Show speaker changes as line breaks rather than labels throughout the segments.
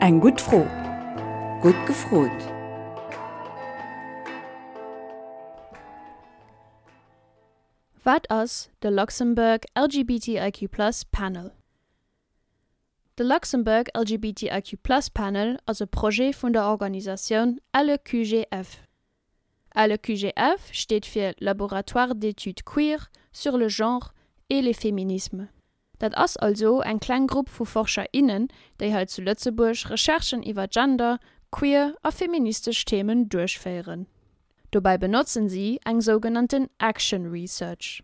Eng gutt Fro. Gutt gefrot!
Wat ass de Luxembourg LGBTIQ Plus Panel? De Luxembourg LGBTIQ Plus Panel ass e Projet vun der Organisatioun LEQGF. LEQGF steet fir Laboratoire d'études queer sur le genre et les féminismes. Dat ass also eng kleng Grupp vu Forscher, innen, déi hei zu Lëtzebuerg Recherchen iwwer Gender, queer a feministesch Themen duerchféieren. Dobäi benotzen si eng sougenannten Action Research.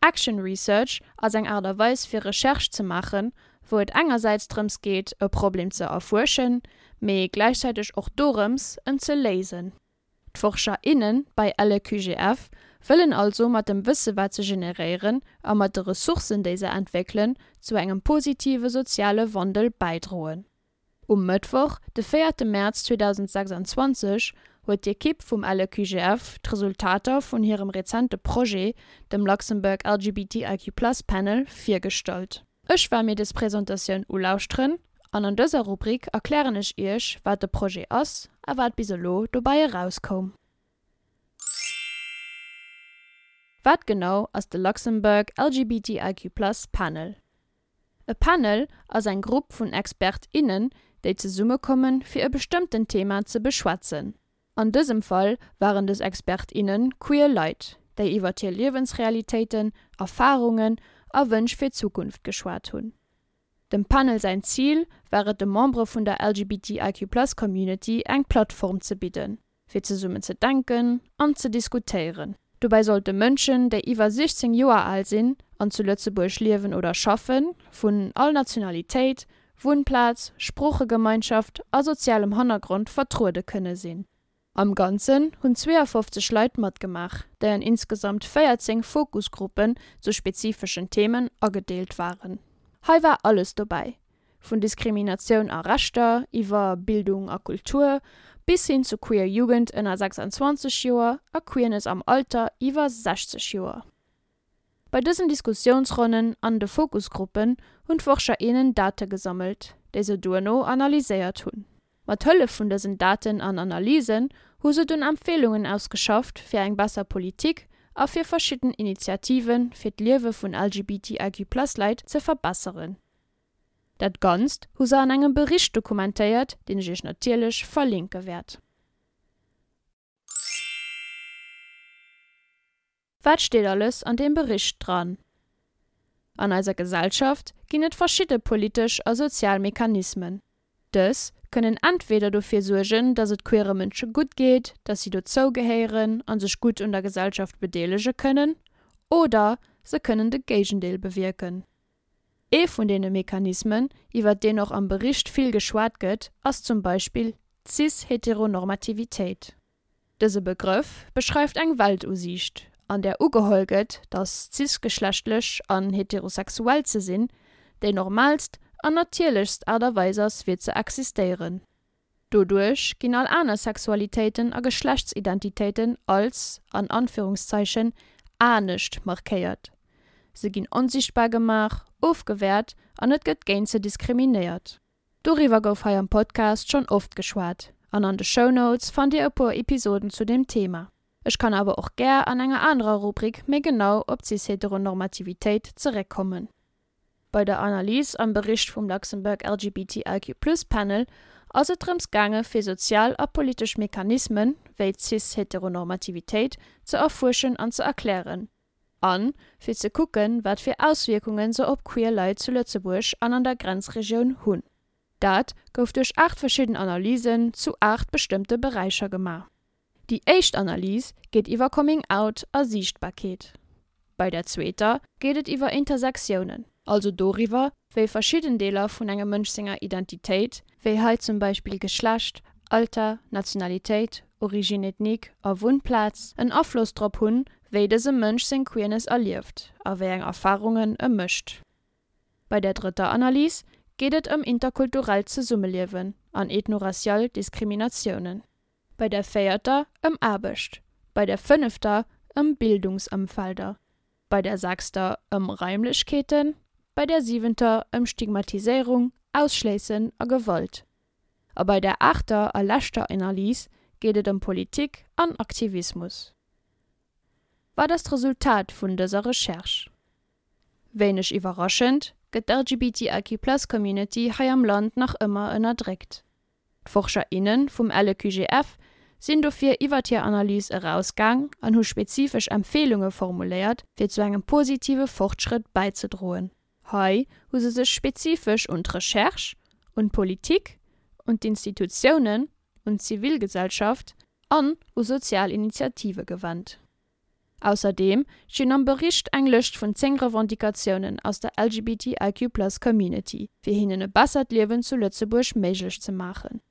Action Research ass eng Aart a Weis fir Recherche ze maachen, wou et engersäits drëms geet e Problem ze erfuerschen, mee gläichzäiteg och dorëms en ze léisen. D'Forscher, innen bei LEQGF wëllen also mat dem Wësse wat se generéieren a mat de Ressourcen déi se entwéckelen zu engem positive soziale Wandel bäidroen. Um Mëttwoch, de véierte Mäerz 2026, huet d'Ekipp vum LEQGF d'Resultater vun hirem rezente Projet, dem Luxembourg LGBTIQ Plus Panel, virgestallt. Ech war mir des Presentatioun ulauschteren an an dëser Rubrik erklären ech iech, wat de Projet ass a wat bis elo dobäi erauskoum. Wat genau ass de Luxembourg LGBTIQ Plus Panel? E Panel ass eng Grupp vun Expert, innen, déi zesummekommen, fir e bestëmmten Thema ze beschwätzen. An dësem Fall waren dës Expert, innen queer Leit, déi iwwer hir Liewensrealitéiten, Erfarungen a Wënsch fir d'Zukunft geschwat hunn. Dem Panel säin Zil war et de Membere vun der LGBTIQ-Plus-Community eng Plattform ze bidden, fir zesummen ze denken an ze diskutéieren. Dobäi sollte Mënschen, déi iwwer 16 Joer al sinn an zu Lëtzebuerg liewen oder schaffen, vun all Nationalitéit, Wunnplaz, Sproochegemeinschaft a sozialem Hannergrond vertruede kënne sinn. Am Ganzen hunn 52 Leit matgemaach, déi an insgesamt 14 Fokusgruppen zu spezifeschen Themen agedeelt waren. Hei war alles dobäi, Vun Diskriminatioun a Rechter, iwwer Bildung a Kultur, bis hin zu queer Jugend ënner 26 Joer a Queerness am Alter iwwer 60 Joer. Bei dësen Diskussiounsronnen an de Fokusgruppen hunn d'Forscher innen Date gesammelt, déi se duerno analyséiert hunn. Mat Hëllef vun dësen Daten an Analysen hu se dunn Empfeelungen ausgeschafft fir eng besser Politik a fir verschidden Initiative fir d'Liewe vun LGBTIQ-Plus-Leit ze verbesseren. Dat Ganzt hu se an engem Bericht dokumentéiert, deen ech iech natierlech verlinke wäert. Wat steet alles an deem Bericht dran? An eiser Gesellschaft ginn et verschidde politesch a sozial Mechanismen. Dës kënnen entweder dofir suergen, dass et queere Mënsche gutt geet, dass si dozou gehéieren a sech gutt un der Gesellschaft bedeelege kënnen, oder se kënnen de Géigendeel bewierken. Ee vun deene Mechanismen, iwwer deen och am Bericht vill geschwat gëtt, ass zum Beispill d'Cis-Heteronormativitéit. Dëse Begrëff beschreift eng Weltusiicht, an där ugeholl gëtt, datt cisgeschlechtlech an heterosexuell ze sinn déi normaalst an natierlechst Aart a Weis ass fir ze existéieren. Doduerch ginn all aner Sexualitéiten a Geschlechtsidentitéiten als, an Anführungszeichen, anescht markéiert. Se ginn onsichtbar gemaach, ofgewäert an et gëtt géint se diskriminéiert. Doriwwer gouf hei am Podcast schonn oft geschwat an an de Shownotes fannt dir e puer Episoden zu deem Thema. Ech kann awer och gär an enger anerer Rubrik méi genau op d'Cis-Heteronormativitéit zeréckkommen. Bei der Analys am Bericht vum Luxembourg LGBTIQ Plus Panel ass et drëms gaange fir sozial a politesch Mechanismen, wéi d'Cis-Heteronormativitéit, ze erfuerschen an ze erklären. A fir ze kucken, wat fir Auswierkunge se op queer Leit zu Lëtzebuerg an an der Grenzregioun hunn. Dat gouf duerch 8 verschidden Analysen zu 8 bestëmmte Beräicher gemaach. Déi éischt Analys geet iwwer Coming Out a Siichtbarkeet. Bei der zweeter geet et iwwer Intersektiounen, also doriwwer, wéi verschidden Deeler vun engem Mënsch senger Identitéit, wéi hei zum Beispill Geschlecht, Alter, Nationalitéit, Origine ethnique a Wunnplaz, en Afloss drop hunn, wéi dëse Mënsch seng Queerness erlieft a wéi eng Erfarungen e mécht. Bei der drëtter Analys geet et ëm interkulturellt Zesummeliewen an ethnoracial Diskriminatiounen. Bei der véierter ëm Aarbecht, bei der fënnefter ëm Bildungsëmfelder, bei der sechster ëm Raimlechkeeten, bei der siwenter ëm Stigmatiséierung, Ausschléissen a Gewalt. A bei der aachter a leschter Analys geet et ëm Politik an Aktivismus. Wat ass d'Resultat vun dëser Recherche? Wéineg iwwerraschend gëtt d'LGBTIQ-Plus-Community hei am Land nach ëmmer ënnerdréckt. D'Forscher, inne vum LEQGF sinn dofir iwwert hir Analys erausgaang an hu spezifesch Empfeelunge formuléiert, fir zu engem positive Fortschrëtt bäizedroen. Hei hu se sech spezifesch un d'Recherche, un d'Politik, un d'Institutiounen, un d'Zivilgesellschaft an u sozial Initiative gewennt. Ausserdeem stinn am Bericht eng Lëscht vun 10 Revendicatiounen aus der LGBTIQ+ Community, fir hinnen e bessert Liewen zu Lëtzebuerg méiglech ze maachen.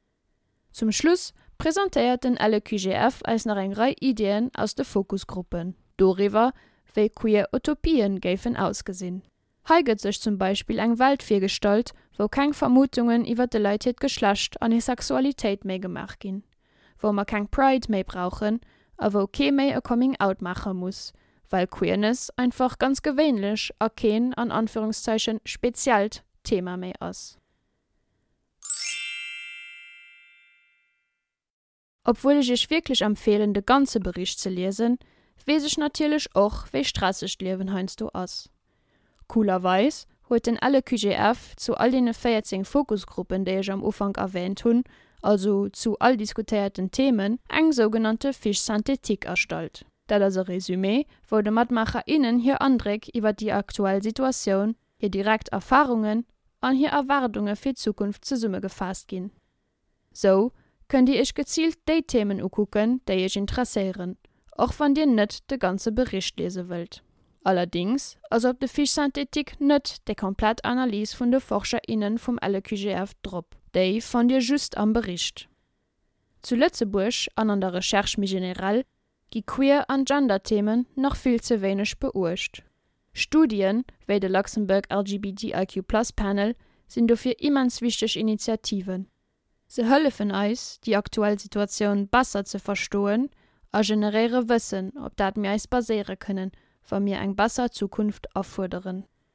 Zum Schluss presentéiert den LEQGF eis nach eng Rei Iddien aus de Fokusgruppen doriwwer, wéi queer Utopien géifen ausgesinn. Hei gëtt sech zum Beispill eng Welt virgestallt, wou keng Vermutungen iwwer de Leit hiert Geschlecht an hir Sexualitéit méi gemaach ginn, wou mer keng Pride méi brauchen a wou kee méi e Coming Out maache muss, well Queerness einfach ganz gewéinlech a keen, an Anführungszeichen, speziellt Thema méi ass. Obwuel ech iech wierklech empfeelen de ganze Bericht ze liesen, weess ech natierlech och wéi stresseg d'Liewen heiansdo ass. Coolerweis huet den LEQGF zu all deene 14 Fokusgruppen déi ech am Ufank erwähnt hunn, also zu all diskutéierten Themen, eng sougenannte Fiche synthétique erstallt. Dat ass e Résumé wou de Matmaacher, innen hir Andréck iwwer déi aktuell Situatioun, hir direkt Erfarungen an hir Erwaardunge fir d'Zukunft zesummegefaasst ginn. Sou kënnt dir iech geziilt déi Themen ukucken, déi iech interesséieren, och wann dir net de ganze Bericht liese wëllt. Allerdings ass op de Fiches synthétiques net déi komplett Analys vun de Forscher, innen vum LEQGF drop, déi fannt dir just am Bericht. Zu Lëtzebuerg, an an der Recherche méi generell, gi Queer an Gender-Themen nach vill ze wéineg beuecht. Studien, wéi de Luxembourg LGBTIQ Plus Panel, sinn dofir immens wichteg Initiativen. Se hëllefen eis, déi aktuell Situatioun besser ze verstoen a generéiere Wëssen, op dat mir eis baséiere kënnen, wa mir eng besser Zukunft afuerderen.